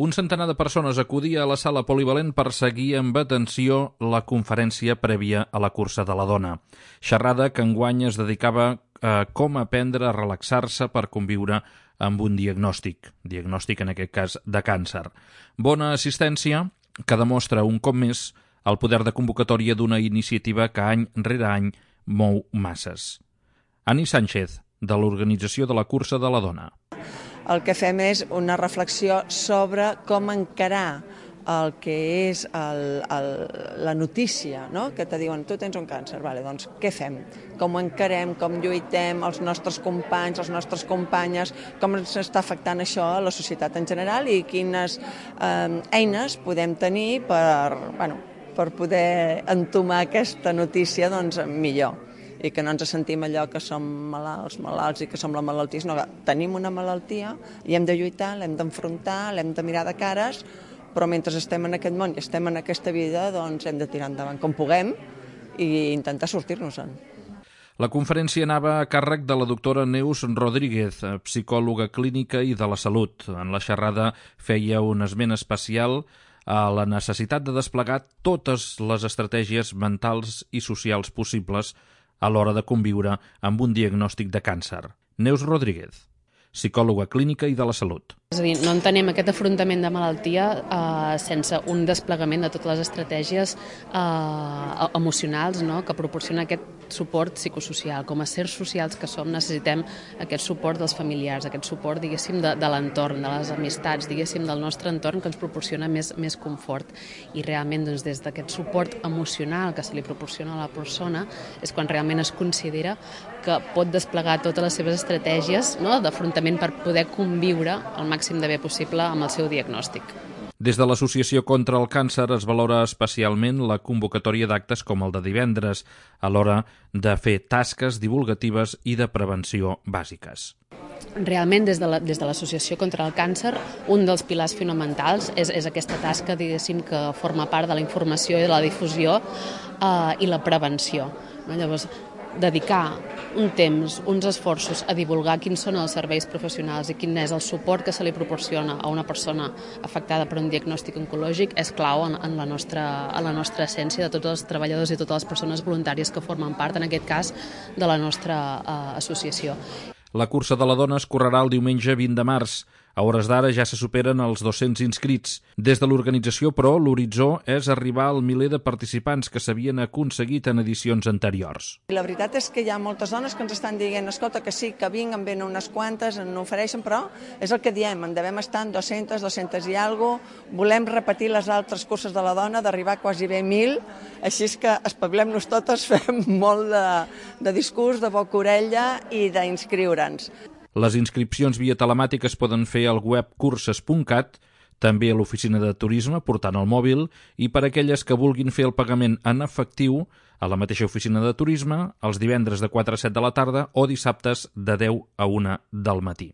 Un centenar de persones acudia a la sala polivalent per seguir amb atenció la conferència prèvia a la cursa de la dona. Xerrada que enguany es dedicava a com aprendre a relaxar-se per conviure amb un diagnòstic en aquest cas de càncer. Bona assistència que demostra un cop més el poder de convocatòria d'una iniciativa que any rere any mou masses. Ani Sánchez, de l'organització de la cursa de la dona. El que fem és una reflexió sobre com encarar el que és la notícia, no? Que te diuen, tu tens un càncer, vale, doncs què fem? Com ho encarem, com lluitem, els nostres companys, les nostres companyes, com ens està afectant això a la societat en general i quines eines podem tenir per poder entomar aquesta notícia millor. I que no ens sentim allò que som malalts i que som la malaltia, sinó que tenim una malaltia i hem de lluitar, l'hem d'enfrontar, l'hem de mirar de cares, però mentre estem en aquest món i estem en aquesta vida, doncs hem de tirar endavant com puguem i intentar sortir-nos-en. La conferència anava a càrrec de la doctora Neus Rodríguez, psicòloga clínica i de la salut. En la xerrada feia un esment especial a la necessitat de desplegar totes les estratègies mentals i socials possibles a l'hora de conviure amb un diagnòstic de càncer. Neus Rodríguez, psicòloga clínica i de la salut. És a dir, no entenem aquest afrontament de malaltia sense un desplegament de totes les estratègies emocionals, no?, que proporciona aquest suport psicosocial. Com a éssers socials que som, necessitem aquest suport dels familiars, aquest suport, diguéssim, de l'entorn, de les amistats, diguéssim, del nostre entorn, que ens proporciona més confort. I realment, doncs, des d'aquest suport emocional que se li proporciona a la persona és quan realment es considera que pot desplegar totes les seves estratègies, no?, d'afrontament per poder conviure al màxim de bé possible amb el seu diagnòstic. Des de l'Associació contra el Càncer es valora especialment la convocatòria d'actes com el de divendres, a l'hora de fer tasques divulgatives i de prevenció bàsiques. Realment, des de l'Associació contra el Càncer, un dels pilars fonamentals és aquesta tasca, diguéssim, que forma part de la informació i de la difusió i la prevenció. Llavors, dedicar un temps, uns esforços a divulgar quins són els serveis professionals i quin és el suport que se li proporciona a una persona afectada per un diagnòstic oncològic és clau en la nostra essència de tots els treballadors i totes les persones voluntàries que formen part, en aquest cas, de la nostra associació. La cursa de la dona es correrà el diumenge 20 de març. A hores d'ara ja se superen els 200 inscrits. Des de l'organització, però, l'horitzó és arribar al miler de participants que s'havien aconseguit en edicions anteriors. La veritat és que hi ha moltes dones que ens estan dient, escolta, que sí, que vinc, en venen unes quantes, en ofereixen, però és el que diem, en devem estar en 200 i alguna cosa, volem repetir les altres curses de la dona, d'arribar quasi bé 1.000, així és que espavilem-nos totes, fem molt de discurs, de boca orella i d'inscriure'ns. Les inscripcions via telemàtica es poden fer al web curses.cat, també a l'oficina de turisme portant el mòbil i per a aquelles que vulguin fer el pagament en efectiu a la mateixa oficina de turisme els divendres de 4 a 7 de la tarda o dissabtes de 10 a 1 del matí.